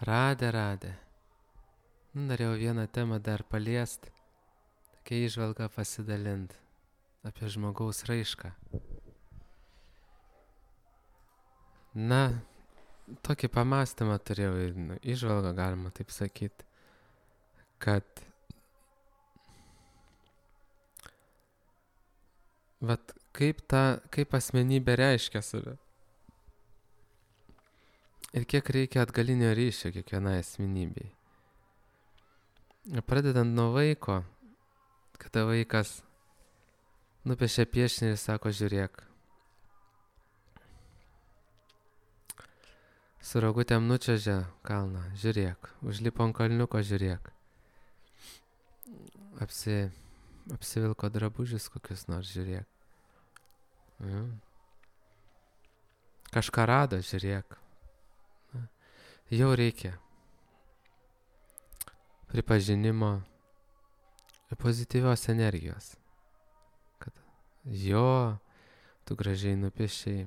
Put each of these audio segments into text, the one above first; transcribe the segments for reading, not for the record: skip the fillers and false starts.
Radė. Norėjau vieną temą dar paliest, tokia įžvalga pasidalint apie žmogaus raišką. Na, tokį pamastymą turėjau, įžvalgą galima taip sakyti, kad kaip asmenybė reiškia save. Ir kiek reikia atgalinio ryšio kiekvienai asmenybei. Pradedant nuo vaiko, kada vaikas nupiešia piešinį ir sako, žiūrėk. Su rogutėm nučiuožia kalną, žiūrėk. Užlipo ant kalniuko, žiūrėk. Apsivilko drabužius kokius nors, žiūrėk. Kažką rado, žiūrėk. Jau reikia pripažinimo ir pozityvios energijos. Kad tu gražiai nupiešiai,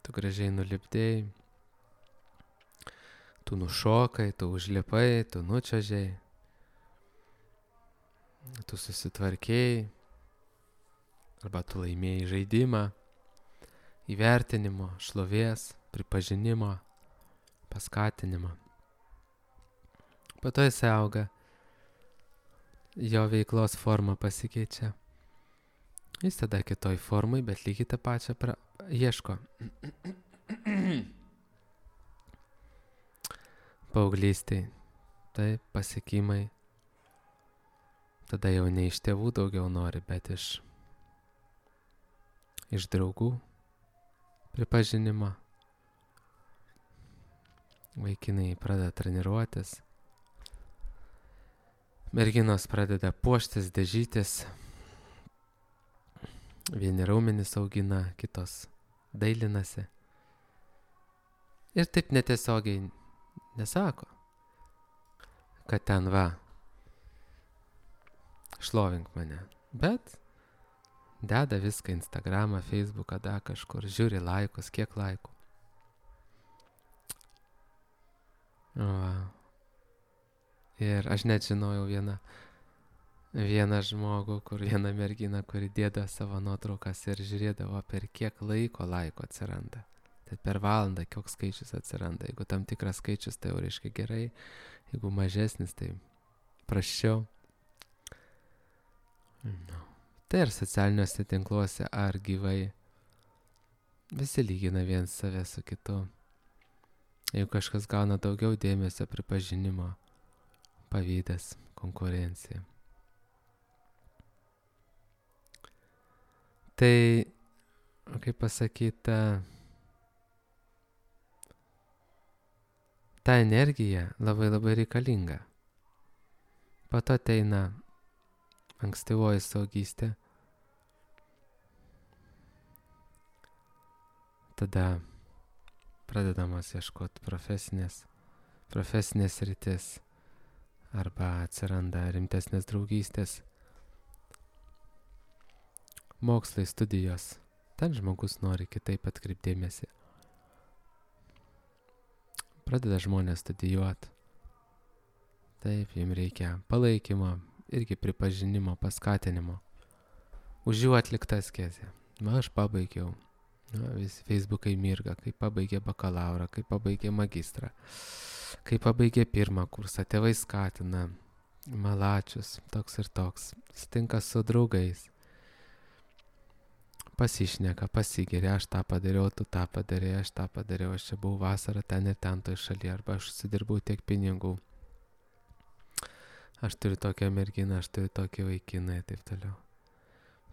tu gražiai nulipdėjai, tu nušokai, tu užlipai, tu nučiuožei, tu susitvarkėjai, arba tu laimėjai žaidimą, įvertinimo, šlovės, pripažinimo, paskatinimo. Po to jis auga, jo veiklos forma pasikeičia. Jis tada kitoj formai, bet lygiai tą pačią ieško. Paauglystėj, taip, pasiekimai. Tada jau ne iš tėvų daugiau nori, bet iš draugų pripažinimo. Vaikinai pradeda treniruotis. Merginos pradeda puoštis, dažytis. Vieni raumenis augina, kitos dailinasi. Ir taip netiesiogiai nesako, kad ten šlovink mane. Bet deda viską Instagramą, Facebooką, kažkur, žiūri laikus, kiek laikų. Ir aš net žinojau vieną žmogų, vieną merginą, kuri dėdavo savo nuotraukas ir žiūrėdavo, per kiek laiko atsiranda. Tai per valandą koks skaičius atsiranda. Jeigu tam tikras skaičius, tai jau reiškia gerai. Jeigu mažesnis, tai prasčiau. Tai ir socialiniuose tinkluose ar gyvai. Visi lygina vien save su kitu. Jeigu kažkas gauna daugiau dėmesio, pripažinimo, pavydas, konkurencija. Tai, kaip pasakyta, ta energija labai reikalinga. Po to ateina ankstyvoji suaugystė. Tada pradedamas ieškoti profesinės rytis arba atsiranda rimtesnės draugystės, mokslai, studijos. Ten žmogus nori kitaip atkreipdėmėsi. Pradeda žmonės studijuoti. Taip, jiems reikia palaikymo, irgi pripažinimo, paskatinimo. Už jų atliktą askezę. Aš pabaigiau. Visi Facebookai mirga, kai pabaigė bakalaurą, kai pabaigė magistrą, kai pabaigė pirmą kursą, tėvai skatina, malačius, toks ir toks, sutinka su draugais, pasišneka, pasigeria, aš tą padariau, tu tą padarei, aš tą padariau, aš čia buvau vasarą ten ir ten toj šalyje, arba aš sudirbau tiek pinigų, aš turiu tokią merginą, aš turiu tokį vaikiną ir taip toliau.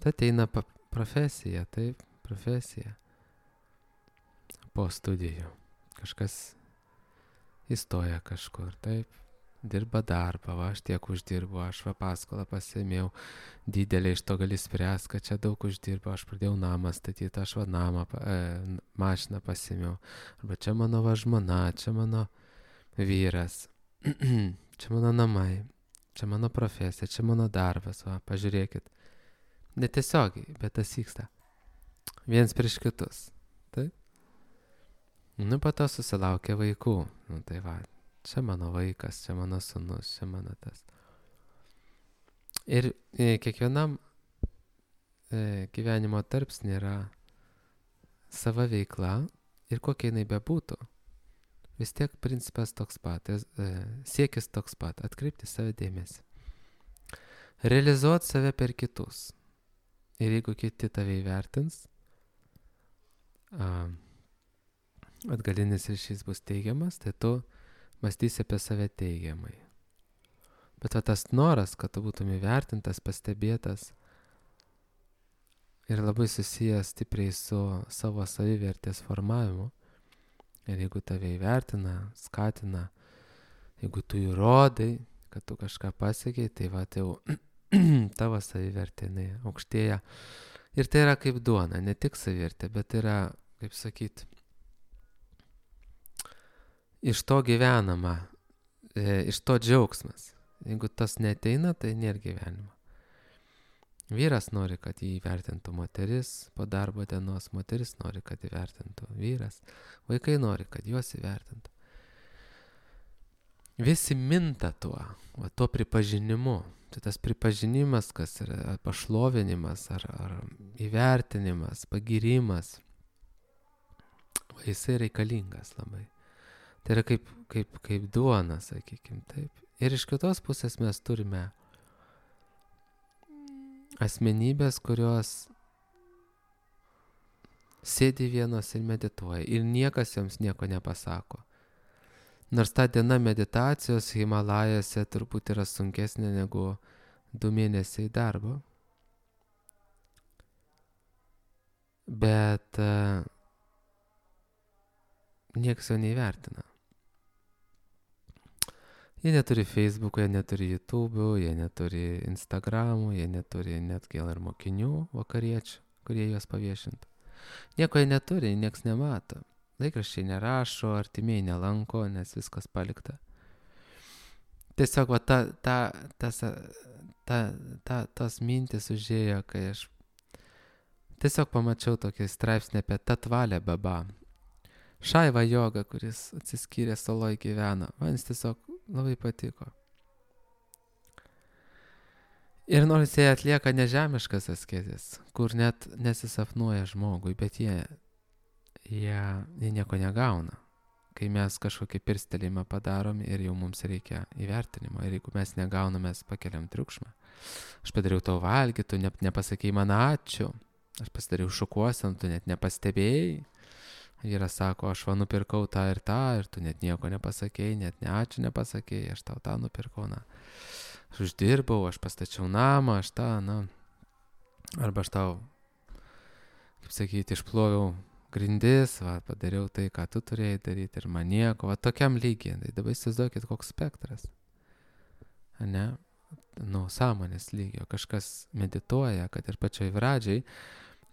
Tai ateina profesija, taip, profesija. Po studijų. Kažkas įstoja kažkur, taip, dirba darbą, aš tiek uždirbu, aš paskolą pasėmiau, didelė iš to gali spręs, kad čia daug uždirbu, aš pradėjau namą statyti, aš mašiną pasėmiau, arba čia mano žmona, čia mano vyras, čia mano namai, čia mano profesija, čia mano darbas, pažiūrėkit. Netiesiogiai, bet tas vyksta. Viens prieš kitus. Taip? Po to susilaukia vaikų. Tai čia mano vaikas, čia mano sūnus, čia mano tas. Ir kiekvienam gyvenimo tarpsnį yra sava veikla ir kokia jinai bebūtų. Vis tiek principas toks pat, siekis toks pat, atkreipti save dėmesį. Realizuoti save per kitus. Ir jeigu kiti tave įvertins, atgalinis ryšys bus teigiamas, tai tu mąstysi apie save teigiamai. Bet tas noras, kad tu būtum įvertintas, pastebėtas ir labai susijęs stipriai su savo savivertės formavimu. Ir jeigu tave įvertina, skatina, jeigu tu įrodai, kad tu kažką pasiekiai, tai jau tavo savivertė aukštėja. Ir tai yra kaip duona, ne tik savivertė, bet yra, kaip sakyti, iš to gyvenama, iš to džiaugsmas. Jeigu tas neteina, tai nėra gyvenimo. Vyras nori, kad jį įvertintų moteris, po darbo dienos moteris nori, kad įvertintų vyras, vaikai nori, kad juos įvertintų. Visi minta tuo pripažinimu. Tai tas pripažinimas, kas yra pašlovinimas ar įvertinimas, pagirimas, jisai reikalingas labai. Tai yra kaip duona, sakykime taip. Ir iš kitos pusės mes turime asmenybės, kurios sėdi vienos ir medituoja ir niekas joms nieko nepasako. Nors ta diena meditacijos Himalajose turbūt yra sunkesnė negu 2 mėnesiai darbo. Bet nieks jo neįvertina. Jie neturi Facebook'o, jie neturi YouTube'o, jie neturi Instagram'o, jie neturi net gal ir mokinių vakariečių, kurie juos paviešintų. Nieko jie neturi, nieks nemato. Laikraščiai nerašo, artimieji nelanko, nes viskas palikta. Tiesiog tas mintis užėjo, kai aš tiesiog pamačiau tokį straipsnį apie Tatvalę Baba. Šaiva joga, kuris atsiskyrė saloj gyvena. Man jis tiesiog labai patiko. Ir nors jie atlieka nežemiškas askezes, kur net nesisapnuoja žmogui, bet jie nieko negauna. Kai mes kažkokį pirstelėjimą padarom ir jau mums reikia įvertinimo. Ir jeigu mes negaunam, mes pakeliam triukšmą. Aš padariau tau valgyti, tu nepasakei man ačiū. Aš pasidariau šukuosen, tu net nepastebėjai. Vyras sako, aš nupirkau tą ir tu net nieko nepasakėjai, net ne ačiū nepasakėjai, aš tau tą nupirkau, Aš uždirbau, aš pastačiau namą, arba aš tau, kaip sakyti, išploviau grindis, padariau tai, ką tu turėjai daryti ir man nieko, tokiam lygiai. Tai dabar įsivaizduokit, koks spektras. Ne? Sąmonės lygio. Kažkas medituoja, kad ir pačioj pradžiai,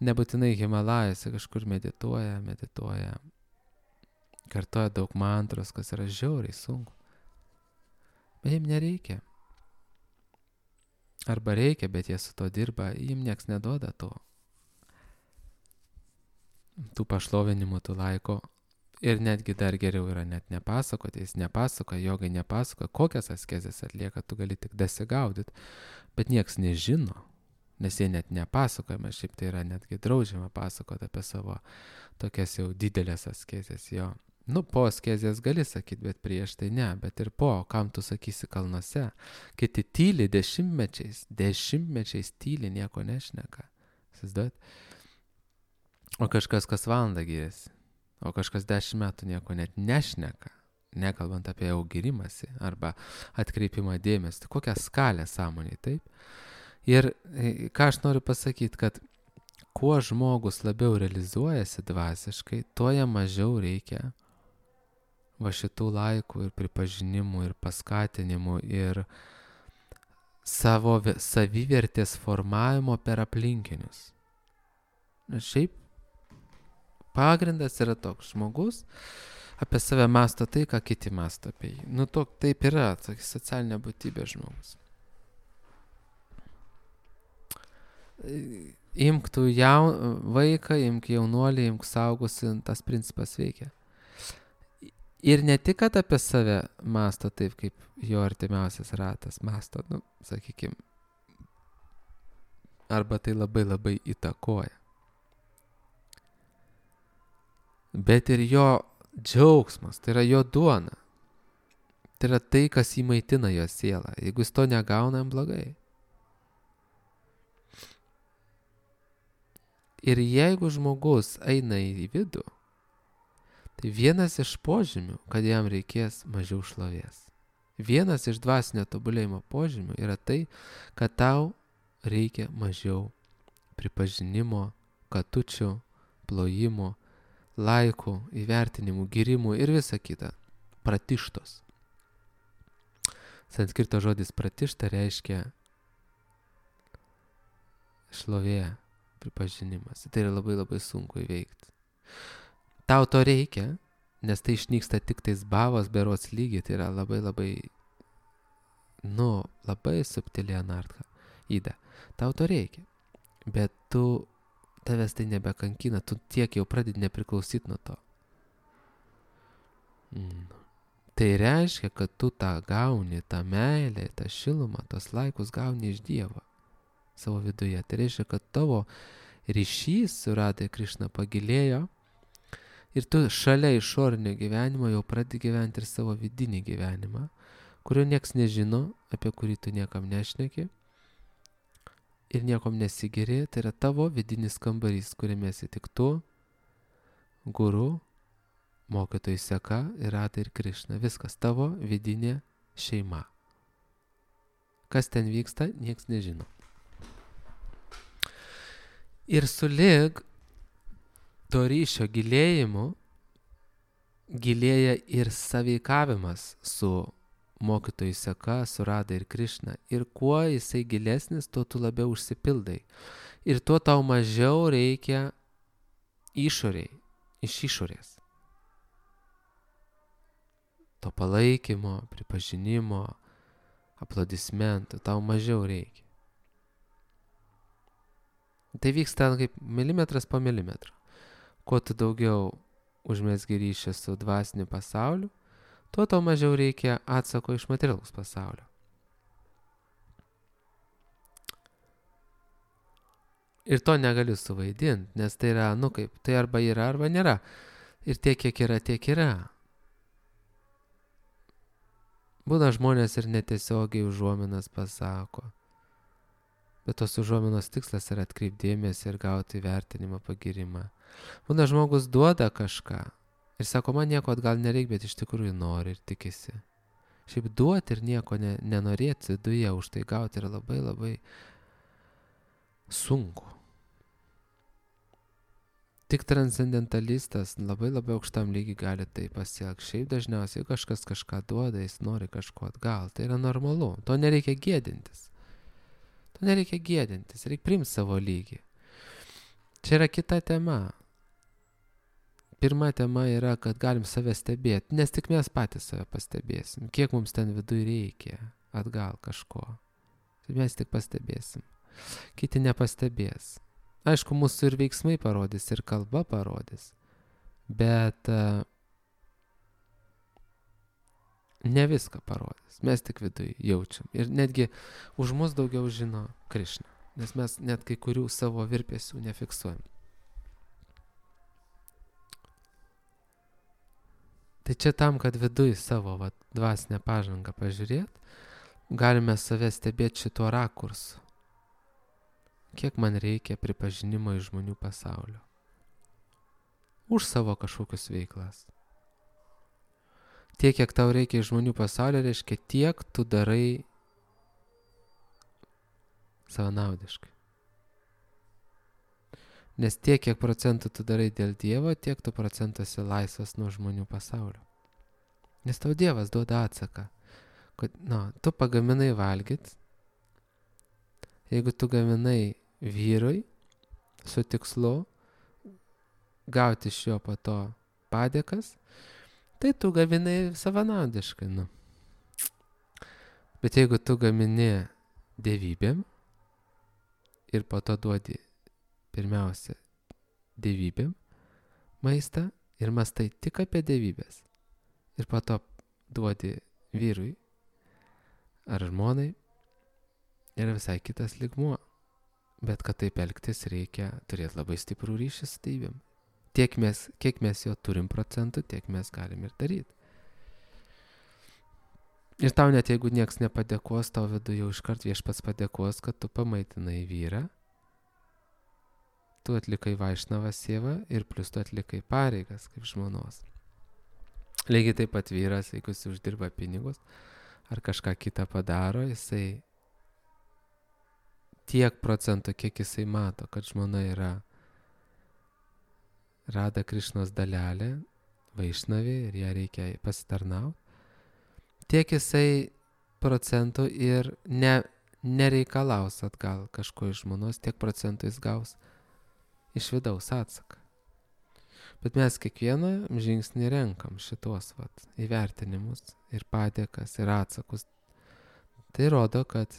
nebūtinai Himalajose kažkur medituoja, kartoja daug mantros, kas yra žiauriai sunku. Bet jiem nereikia. Arba reikia, bet jie su to dirba, jiem nieks neduoda to. Tų pašlovinimų, tų laiko. Ir netgi dar geriau yra net nepasakoti, jis nepasakoja, jogai nepasakoja, kokias askezes atlieka, tu gali tik dasigaudyti, bet nieks nežino. Nes jie net nepasakojama, šiaip tai yra netgi draudžiama pasakoti apie savo tokias jau didelės askezės jo. Po askezės gali sakyti, bet prieš tai ne, bet ir po, kam tu sakysi kalnuose. Kiti tyli dešimtmečiais tyli, nieko nešneka. Įsivaizduojat? O kažkas kas valandą giriasi, o kažkas 10 metų nieko net nešneka, nekalbant apie jau girimąsi arba atkreipimą dėmesį. Kokią skalę sąmonėj, taip? Ir ką aš noriu pasakyti, kad kuo žmogus labiau realizuojasi dvasiškai, tuo jam mažiau reikia šitų laikų ir pripažinimų ir paskatinimų ir savo savivertės formavimo per aplinkinius. Šiaip pagrindas yra toks, žmogus apie save mąsto tai, ką kiti mąsto apie jį. Taip yra, socialinė būtybė žmogus. Imk tu vaiką, imk jaunuolį, imk saugusį, tas principas veikia. Ir ne tik, kad apie save masto taip, kaip jo artimiausias ratas masto, sakykime, arba tai labai labai įtakoja. Bet ir jo džiaugsmas, tai yra jo duona. Tai yra tai, kas įmaitina jo sielą. Jeigu jis to negauna, jam blogai. Ir jeigu žmogus eina į vidų, tai vienas iš požymių, kad jam reikės mažiau šlovės. Vienas iš dvasinio tobulėjimo požymių yra tai, kad tau reikia mažiau pripažinimo, katučių, plojimų, laikų, įvertinimų, girimų ir visa kita. Pratištos. Sanskrito žodis pratišta reiškia šlovė, pripažinimas. Tai yra labai labai sunku įveikti. Tau to reikia, nes tai išnyksta tik tais bhavos berods lygiai, tai yra labai labai, labai subtili anartha, įda. Tau to reikia, bet tavęs tai nebekankina, tu tiek jau pradedi nepriklausyti nuo to. Tai reiškia, kad tu tą gauni, tą meilę, tą šilumą, tos laikus gauni iš Dievo savo viduje. Tai reiškia, kad tavo ryšys su Radha Krišna pagilėjo ir tu šalia išorinio gyvenimo jau pradedi gyventi ir savo vidinį gyvenimą, kurio nieks nežino, apie kurį tu niekam nešneki ir niekom nesigeri. Tai yra tavo vidinis kambarys, kuriame esi tik tu, guru, mokytojai seka ir Radha ir Krišna. Viskas tavo vidinė šeima. Kas ten vyksta, nieks nežino. Ir sulig to ryšio gilėjimu gilėja ir sąveikavimas su mokytojai seka, su Radha ir Krišna. Ir kuo jisai gilesnis, tuo tu labiau užsipildai. Ir tuo tau mažiau reikia išoriai, iš išorės. To palaikymo, pripažinimo, aplodismentų, tau mažiau reikia. Tai vyksta kaip milimetras po milimetro. Kuo tu daugiau užmesgi ryšį su dvasiniu pasauliu, tuo tau mažiau reikia atsako iš materialaus pasaulio. Ir to negaliu suvaidinti, nes tai yra, tai arba yra, arba nėra. Ir tiek, kiek yra, tiek yra. Būna žmonės ir netiesiogiai užuominas pasako. Bet tos užuominos tikslas yra atkreipdėmėsi ir gauti įvertinimą, pagirimą. Būna žmogus duoda kažką ir sako, man nieko atgal nereik, bet iš tikrųjų nori ir tikisi. Šiaip duoti ir nieko nenorėti viduje už tai gauti yra labai labai sunku. Tik transcendentalistas labai labai aukštam lygiai gali tai pasiekti. Šiaip dažniausiai kažkas kažką duoda, jis nori kažko atgal. Tai yra normalu. To nereikia gėdintis. Reikia priimti savo lygį. Čia yra kita tema. Pirma tema yra, kad galim save stebėti, nes tik mes patys save pastebėsim. Kiek mums ten viduje reikia atgal kažko. Tai mes tik pastebėsim. Kiti nepastebės. Aišku, mūsų ir veiksmai parodys, ir kalba parodys. Bet ne viską parodys. Mes tik viduje jaučiam. Ir netgi už mus daugiau žino Krišna. Nes mes net kai kurių savo virpesių nefiksuojam. Tai čia tam, kad viduje savo dvasinę pažangą pažiūrėt, galime save stebėti šituo rakursu. Kiek man reikia pripažinimo iš žmonių pasaulio. Už savo kažkokius veiklas. Tiek, kiek tau reikia iš žmonių pasaulio, reiškia tiek tu darai savanaudiškai. Nes tiek, kiek procentų tu darai dėl Dievo, tiek tu procentų esi laisvas nuo žmonių pasaulio. Nes tau Dievas duoda atsaką, kad, tu pagaminai valgyt, jeigu tu gaminai vyrui su tikslu gauti iš jo po to padėkas, tai tu gaminai savanaudiškai. Bet jeigu tu gamini dievybėm ir po to duodi pirmiausia dievybėm maistą ir mąstai tik apie dievybės ir po to duodi vyrui ar žmonai, yra visai kitas lygmuo. Bet kad taip elgtis reikia turėti labai stiprų ryšį su Dievim. Kiek mes jo turim procentų, tiek mes galim ir daryti. Ir tau net jeigu nieks nepadėkos, tau viduje jau iškart Viešpats padėkos, kad tu pamaitinai vyrą, tu atlikai vaišnavą sievą ir plus tu atlikai pareigas kaip žmonos. Lygiai taip pat vyras, jeigu jis uždirba pinigus ar kažką kitą padaro, jisai tiek procentų, kiek jisai mato, kad žmona yra Rada Krišnos dalelė, vaišnavė ir ją reikia pasitarnauti, tiek jisai procentų ir nereikalaus atgal kažko iš žmonos, tiek procentų jis gaus iš vidaus atsaką. Bet mes kiekvieną žingsnį renkam šitos įvertinimus ir padėkas ir atsakus. Tai rodo, kad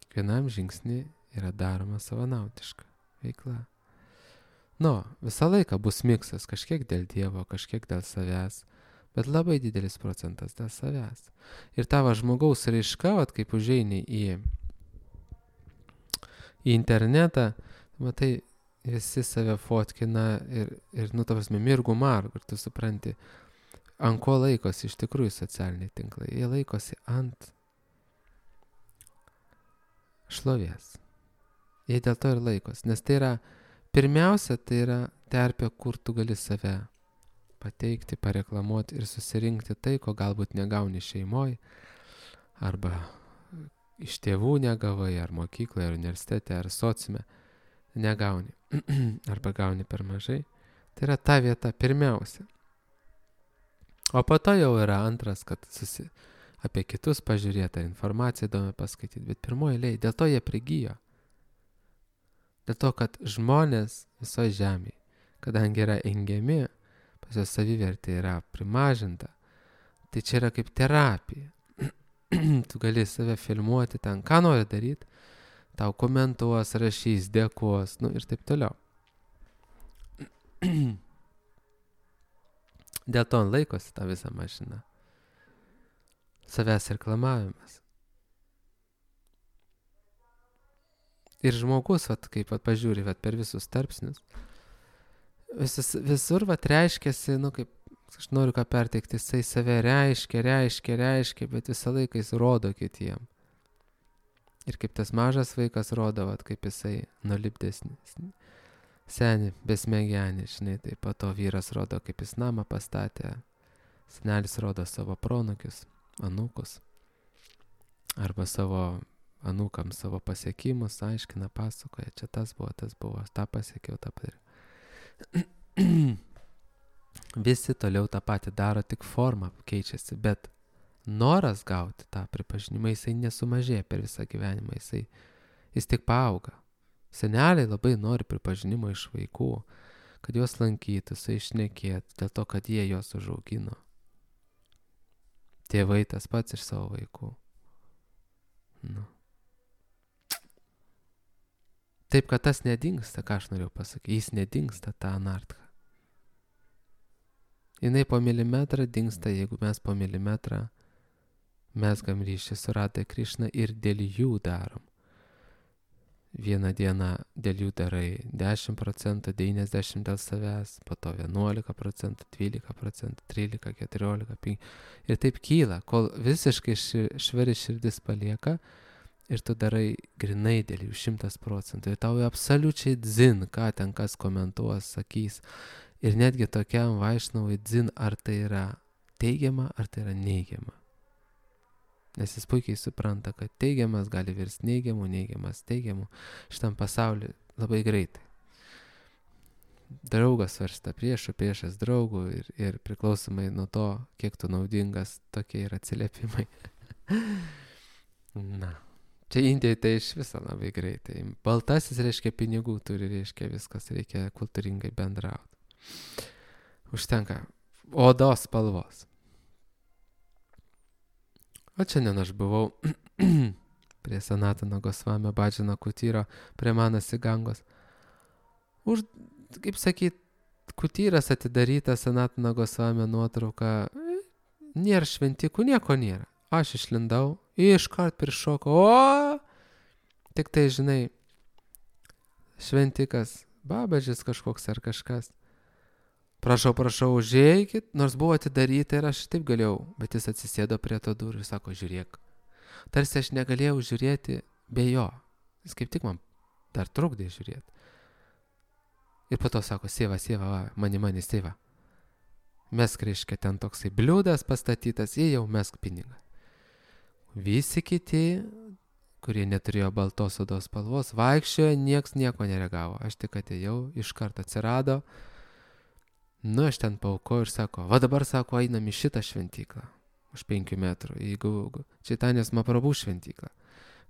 kiekvienam žingsnį yra daroma savanaudiška veikla. Visą laiką bus miksas, kažkiek dėl Dievo, kažkiek dėl savęs, bet labai didelis procentas dėl savęs. Ir tavo žmogaus raiška, kaip užeini į internetą, matai, visi save fotkina ir ta prasme, mirgų margų, ir tu supranti, ant ko laikosi iš tikrųjų socialiniai tinklai. Jie laikosi ant šlovės. Jie dėl to ir laikosi, nes tai yra, pirmiausia, tai yra terpė, kur tu gali save pateikti, pareklamuoti ir susirinkti tai, ko galbūt negauni šeimoje, arba iš tėvų negavai, ar mokykloje, ar universitete, ar sociume negauni, arba gauni per mažai. Tai yra ta vieta pirmiausia. O po to jau yra antras, kad apie kitus pažiūrėti, informaciją įdomi paskaityti, bet pirmoji eilėje, dėl to jie prigijo. Dėl to, kad žmonės visoje žemėje, kadangi yra engiami, pas jos savivertė yra primažinta, tai čia yra kaip terapija. Tu gali save filmuoti ten, ką nori daryti, tau komentuos, rašys, dėkos, ir taip toliau. Dėl to laikosi tą visą mašiną. Savęs reklamavimas. Ir žmogus, kaip pažiūri, per visus tarpsnius, visur, reiškiasi, kaip, aš noriu ką perteikti, jisai save reiškia, bet visą laiką jis rodo kitiem. Ir kaip tas mažas vaikas rodo, kaip jisai nulipdesnis, senį, besmegenį, tai po to vyras rodo, kaip jis namą pastatė, senelis rodo savo pronukius, anūkus, arba savo anūkams savo pasiekimus, aiškina, pasakoja, čia tas buvo, tą pasiekiau, tą padariau. Visi toliau tą patį daro, tik forma keičiasi, bet noras gauti tą pripažinimą, jisai nesumažėja per visą gyvenimą, jis tik paauga. Seneliai labai nori pripažinimo iš vaikų, kad juos lankytųsi, išnekėtų, dėl to, kad jie juos užaugino. Tėvai tas pats iš savo vaikų. Taip, kad tas nedingsta, ką aš norėjau pasakyti, jis nedingsta, ta anartha. Jinai po milimetrą dingsta, jeigu mes po milimetrą mezgam ryšį su Rada Krišna ir dėl jų darom. Vieną dieną dėl jų darai 10%, 90% dėl savęs, po to 11%, 12%, 13%, 14%, 5%. Ir taip kyla, kol visiškai švari širdis palieka ir tu darai grinai dėl jų 100%. Ir tau absoliučiai dzin, ką ten kas komentuos, sakys. Ir netgi tokiam vaišnavui dzin, ar tai yra teigiama, ar tai yra neigiama. Nes jis puikiai supranta, kad teigiamas gali virsti neigiamu, neigiamas teigiamu šitam pasauliu labai greitai. Draugas varsta priešų, priešas draugų ir priklausomai nuo to, kiek tu naudingas, tokie yra atsiliepimai. Čia Indijai tai iš viso labai greitai. Baltasis reiškia pinigų turi, reiškia viskas, reikia kultūringai bendrauti. Užtenka odos spalvos. O šiandien aš buvau prie Sanatano Gosvamio Bhajano Kutyro, prie Manasi Gangos. Kaip sakyt, kutyras atidarytas, Sanatano Gosvamio nuotrauka, nėra šventikų, nieko nėra. Aš išlindau, iškart prišokau, tik tai, žinai, šventikas, babažis kažkoks ar kažkas. Prašau, užeikit, nors buvo atidaryta ir aš taip galėjau, bet jis atsisėdo prie to durų ir sako, žiūrėk. Tarsi aš negalėjau žiūrėti be jo. Jis kaip tik man dar trukdė žiūrėti. Ir po to sako, sėva, mani, sėva. Mesk, reiškia, ten toksai bliūdas pastatytas, jie jau mesk pinigą. Visi kiti, kurie neturėjo baltos odos spalvos, vaikščiojo, nieks nieko nereagavo. Aš tik atėjau, iš karto atsirado. Nu, aš ten paaukoju ir sako, va dabar, sako, einam į šitą šventyklą. Už 5 metrų, jeigu Čaitanės Mahaprabhu šventyklą.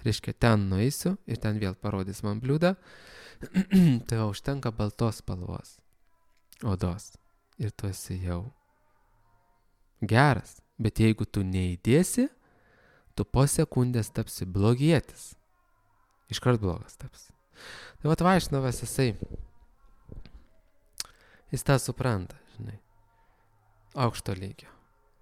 Reiškia, ten nueisiu ir ten vėl parodys man bliūdą. Tai užtenka baltos spalvos odos. Ir tu esi jau geras. Bet jeigu tu neįdėsi, tu po sekundės tapsi blogietis. Iškart blogas tapsi. Tai vat Vaišnavas jis tą supranta, žinai, aukšto lygio.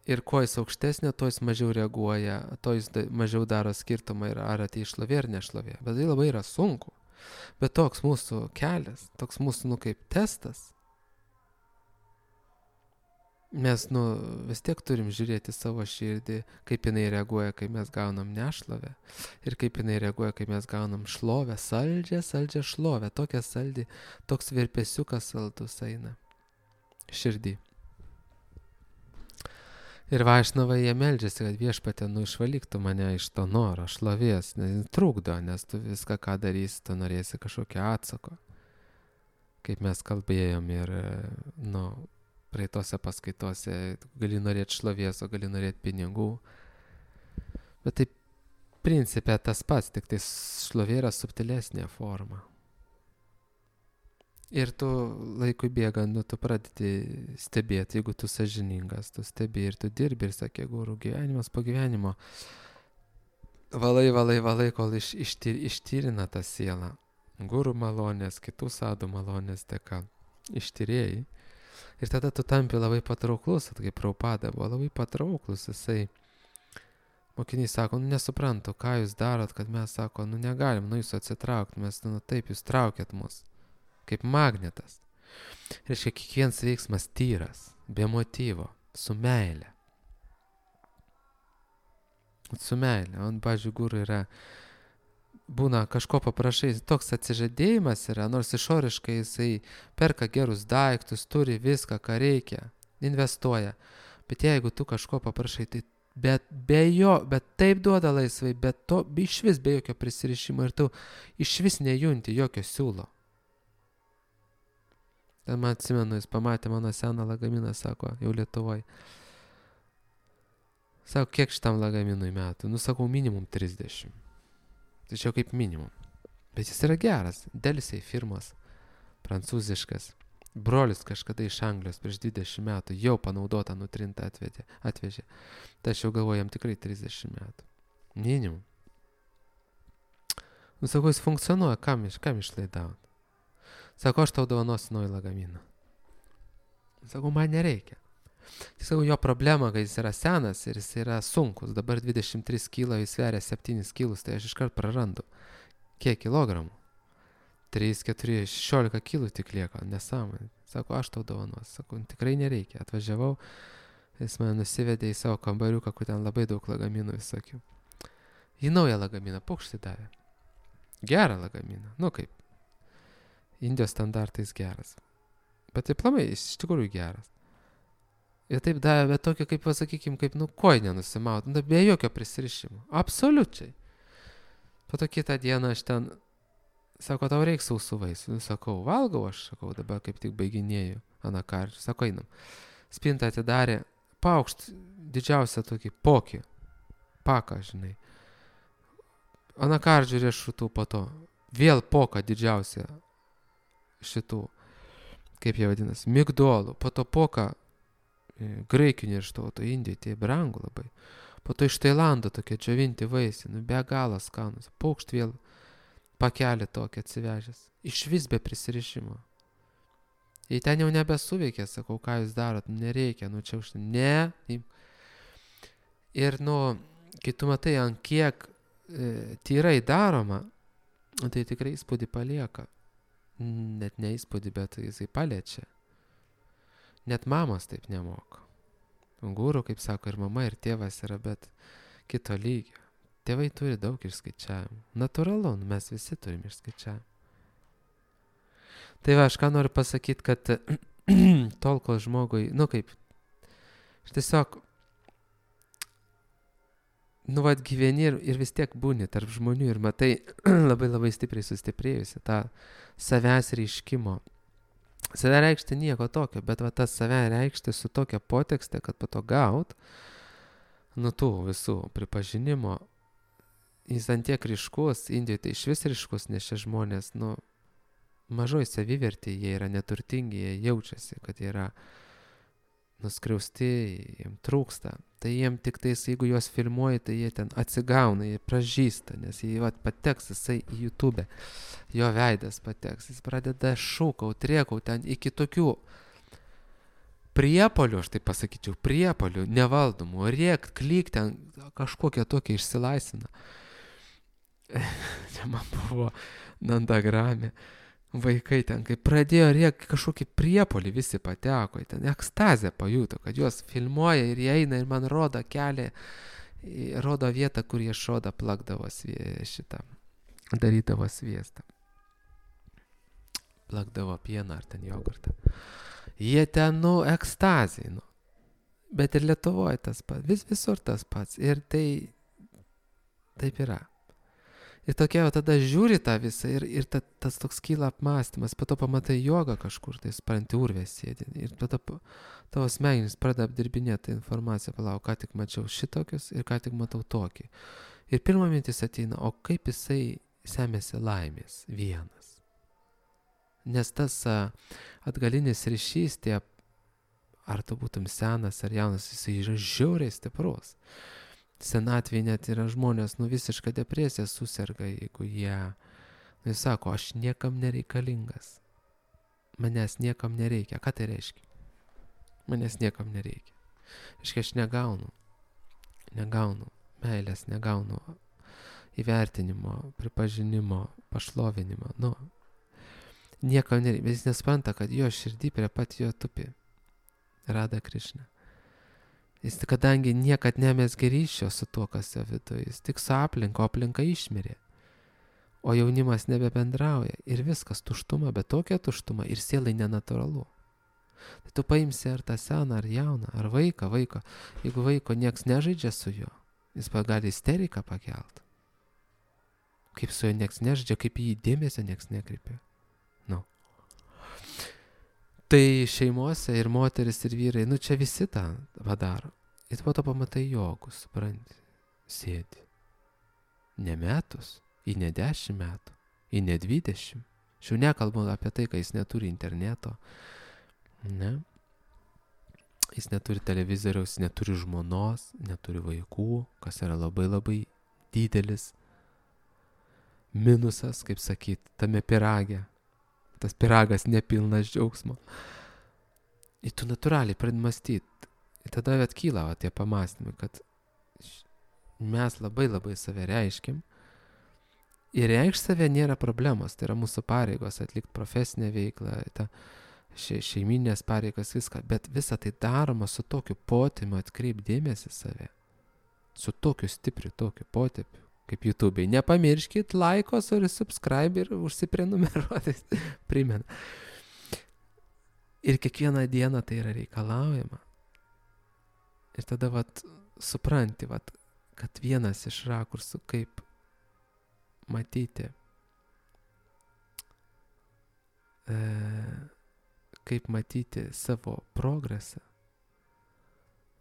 Ir kuo jis aukštesnė, tuo jis mažiau reaguoja, tuo jis mažiau daro skirtumą ir ar atei šlovė ar nešlovė. Bet tai labai yra sunku. Bet toks mūsų kelias, toks mūsų, kaip testas. Mes, vis tiek turim žiūrėti savo širdį, kaip jinai reaguoja, kai mes gaunam nešlovę. Ir kaip jinai reaguoja, kai mes gaunam šlovę, saldžią šlovę, tokią saldį, toks virpesiukas saldus eina širdį. Ir Vaišnavai jie meldžiasi, kad Viešpatie, išvalyk tu mane iš to noro, šlovės, nes trukdo, nes tu viską, ką darysi, tu norėsi kažkokio atsako. Kaip mes kalbėjom ir, praeitose paskaitose, gali norėti šlovės, o gali norėti pinigų. Bet tai principė tas pats, tik tai šlovė yra subtilesnė forma. Ir tu laikui bėgant, tu pradedi stebėti, jeigu tu sąžiningas, tu stebi ir tu dirbi ir sakė, guru, gyvenimas po gyvenimo. Valai, kol ištyrina tą sielą. Guru malonės, kitų sadų malonės dėka ištyrėjai. Ir tada tu tampi labai patrauklus, kaip Prabhupada buvo labai patrauklus, jisai. Mokiniai sako, nesuprantu, ką jūs darot, kad mes sako, negalim jūsų atsitraukti, mes taip jūs traukiat mus. Kaip magnetas. Reiškia, kiekvienas veiksmas tyras, be motyvo, su meile. Su meile. O, pavyzdžiui, guru yra, būna kažko paprašai, toks atsižadėjimas yra, nors išoriškai jisai perka gerus daiktus, turi viską, ką reikia, investuoja. Bet jeigu tu kažko paprašai, tai bet taip duoda laisvai, bet to išvis be jokio prisirišimo ir tu išvis nejunti jokio siūlo. Ten man atsimenu, jis pamatė mano seną lagaminą, sako, jau Lietuvoj. Sako, kiek šitam lagaminui metų? Sakau, minimum 30. Tai čia kaip minimum. Bet jis yra geras. Delsiai firmos, prancūziškas. Brolis kažkada iš Anglijos prieš 20 metų jau panaudotą nutrintą atvežė. Tai aš jau galvoju, jam tikrai 30 metų. Minimum. Sakau, jis funkcionuoja, kam išlaidauti? Sako, aš tau dovanosiu naują lagaminą. Sakau, man nereikia. Sakau, jo problema, kad jis yra senas ir jis yra sunkus. Dabar 23 kilo, jis sveria 7 kilus, tai aš iškart prarandu. Kiek kilogramų? 3, 4, 16 kilų tik lieka, nesąmonė. Sako, aš tau dovanosiu. Sakau, tikrai nereikia. Atvažiavau, jis mane nusivedė į savo kambariuką, kur ten labai daug lagaminų visokių. Į naują lagaminą paukštį davė. Gerą lagaminą. Kaip. Indijos standartais geras. Bet tai plamai, jis iš tikrųjų geras. Ir taip davė, bet tokio, kaip pasakykim, kaip kojinę nusimaut, be jokio prisirišimo. Absoliučiai. Po to kitą dieną aš ten, sako, tau reiks sausų vaisių. Sakau, valgau aš, dabar kaip tik baiginėju anakardžių. Sako, einam. Spintą atidarė, paukšt didžiausią tokį pokį. Paką, žinai. Anakardžių riešutų po to. Vėl poką didžiausią šitų, kaip jie vadinasi, migdolų, po to poką graikinių riešutų, Indijai, tai brangu labai. Po to iš Tailando tokie džiovinti vaisiai, be galo skanus. Paukšt vėl pakelį tokį atsivežęs. Iš vis be prisirišimo. Jei ten jau nebesuveikė, sakau, ką jūs darot, nereikia, čia už tai. Ne. Ir, kai tu matai, ant kiek tyrai daroma, tai tikrai įspūdį palieka. Net ne įspūdį, bet jisai paliečia. Net mamos taip nemoka. Gūrų, kaip sako, ir mama, ir tėvas yra, bet kito lygio. Tėvai turi daug išskaičiavimų. Natūralu, mes visi turim išskaičiavimų. Tai va, aš ką noriu pasakyti, kad tol, kol žmogui, aš tiesiog, gyveni ir vis tiek būni tarp žmonių ir matai labai labai stipriai sustiprėjusi tą savęs reiškimo. Save reikšti nieko tokio, bet va tas save reikšti su tokia potekste, kad po to gaut, tų visų pripažinimo, jis ant tiek ryškus, Indijoje tai išvis ryškus, nes šie žmonės, mažoj savivertė, jie yra neturtingi, jie jaučiasi, kad jie yra nuskriausti, jiems trūksta. Tai jiems tik tais, jeigu juos filmuoji, tai jie ten atsigauna, jie pražįsta, nes jie pateks jisai į YouTube, jo veidas pateks, jis pradeda šūkaut, rėkaut ten iki tokių priepolių, aš taip pasakyčiau, priepolių nevaldomų, rėkt, klyk ten, kažkokia tokia išsilaisvina. Čia man buvo Nandagrame. Vaikai ten, kai pradėjo rėkti, kažkokį priepolį visi pateko, ten ekstazę pajuto, kad juos filmuoja ir jie eina ir man rodo kelią, rodo vietą, kur jie šodą plakdavo darydavo sviestą. Plakdavo pieną ar ten jogurtą. Jie ten, ekstazė, Bet ir Lietuvoje tas pats, visur tas pats. Ir tai taip yra. Ir tokia tada žiūri tą visą ir tas toks kyla apmąstymas, po to pamatai jogą kažkur, tai supranti urvės sėdi. Ir tada tavo smegenys pradeda apdirbinėti informaciją, palauk, ką tik mačiau šitokius ir ką tik matau tokį. Ir pirma mintis ateina, o kaip jisai semėsi laimės vienas. Nes tas atgalinis ryšys, ar tu būtum senas ar jaunas, jisai yra žiauriai stiprus. Senatvėje net yra žmonės, visišką depresiją suserga, jeigu jie, jis sako, aš niekam nereikalingas. Manęs niekam nereikia. Ką tai reiškia? Manęs niekam nereikia. Reiškia, aš negaunu meilės, negaunu įvertinimo, pripažinimo, pašlovinimo. Niekam nereikia. Bet jis nespranta, kad jo širdį prie pat jo tupi Rada Krišna. Jis kadangi niekad nemezgė ryšio su tuo, kas jo viduje, jis tik su aplinka išmirė. O jaunimas nebebendrauja ir viskas tuštuma, bet tokia tuštuma ir sielai nenatūralu. Tai tu paimsi ar tą seną, ar jauną, ar vaiką. Jeigu vaiko nieks nežaidžia su juo, jis gali isteriką pakelt. Kaip su juo nieks nežaidžia, kaip į jį dėmesio nieks nekreipia. Tai šeimose ir moteris, ir vyrai, čia visi tą padaro. Ir po to pamatai jogus, supranti, sėdi. Ne metus, į ne 10 metų, į ne 20. Aš jau nekalbu apie tai, kai jis neturi interneto, ne? Jis neturi televizoriaus, neturi žmonos, neturi vaikų, kas yra labai labai didelis minusas, kaip sakyt, tame pirage. Tas piragas nepilnas džiaugsmo. Ir tu natūraliai pradedi mąstyti. Ir tada atkyla tie pamąstymai, kad mes labai labai save reiškim. Ir reikšti save nėra problemos. Tai yra mūsų pareigos atlikti profesinę veiklą, šeiminės pareigas, viską. Bet visa tai daroma su tokiu potėmiu atkreip dėmesį save. Su tokiu stipriu, tokiu potėpiu. Kaip YouTube'ai. Nepamirškit laikos ir subscribe ir užsiprenumeruoti. Primena. Ir kiekvieną dieną tai yra reikalaujama. Ir tada supranti, kad vienas iš rakursų, kaip matyti savo progresą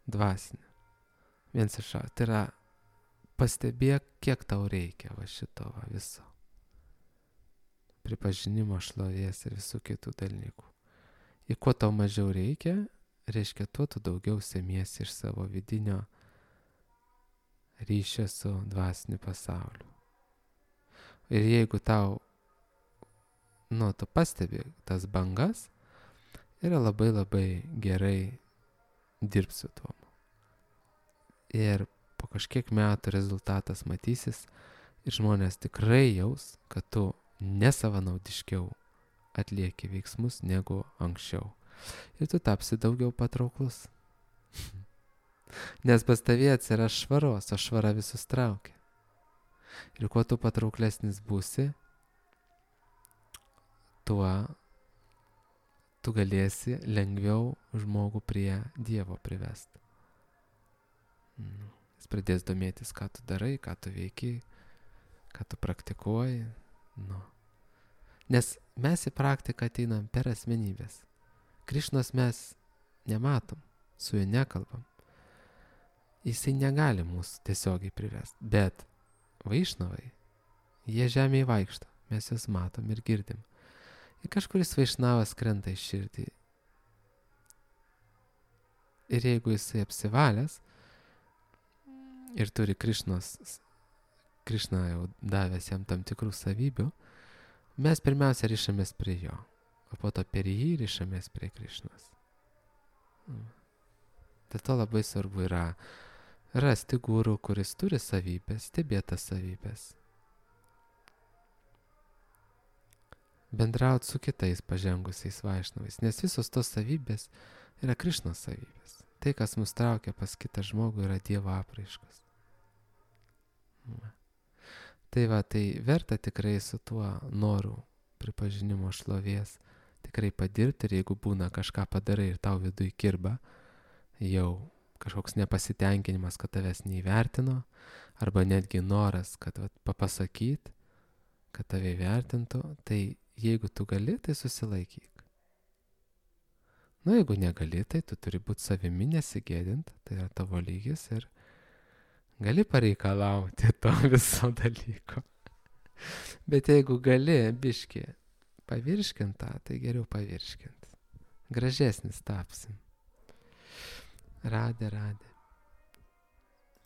dvasinį. Vienas iš rakursų. Tai yra pastebėk, kiek tau reikia šito viso. Pripažinimo, šlovės ir visų kitų dalykų. Ir kuo tau mažiau reikia, reiškia, tuo tu daugiau semiesi iš savo vidinio ryšio su dvasiniu pasauliu. Ir jeigu tau, tu pastebi tas bangas, yra labai labai gerai dirbti su tuo. Ir po kažkiek metų rezultatas matysis ir žmonės tikrai jaus, kad tu nesavanaudiškiau atlieki veiksmus negu anksčiau. Ir tu tapsi daugiau patrauklus. Nes pas tavie atsiras švaros, o švara visus traukia. Ir kuo tu patrauklesnis būsi, tuo tu galėsi lengviau žmogų prie Dievo privesti. Jis pradės domėtis, ką tu darai, ką tu veiki, ką tu praktikuoji. Nes mes į praktiką ateinam per asmenybės. Krišnos mes nematom, su juo nekalbam. Jisai negali mūsų tiesiogiai privesti. Bet vaišnavai, jie žemėje vaikšto, mes juos matom ir girdim. Ir kažkuris vaišnavas krenta į širdį. Ir jeigu jisai apsivalęs ir turi Krišna jau davęs jam tam tikrų savybių, mes pirmiausia rišamės prie jo, o po to per jį rišamės prie Krišnos. Dėl to labai svarbu yra rasti guru, kuris turi savybės, stebėtas savybės. Bendrauti su kitais pažengusiais vaišnavais, nes visos tos savybės yra Krišnos savybės. Tai, kas mus traukia pas kitą žmogų, yra Dievo apraiškos. Tai verta tikrai su tuo noru pripažinimo šlovės tikrai padirbti, ir jeigu būna kažką padarai ir tau viduj kirba, jau kažkoks nepasitenkinimas, kad tavęs neįvertino, arba netgi noras, kad papasakyt, kad tave įvertintų, tai jeigu tu gali, tai susilaikyk. Jeigu negali, tai tu turi būti savimi, nesigėdint, tai yra tavo lygis ir gali pareikalauti to viso dalyko. Bet jeigu gali biškį pavirškint tą, tai geriau pavirškint. Gražesnis tapsim. Radė.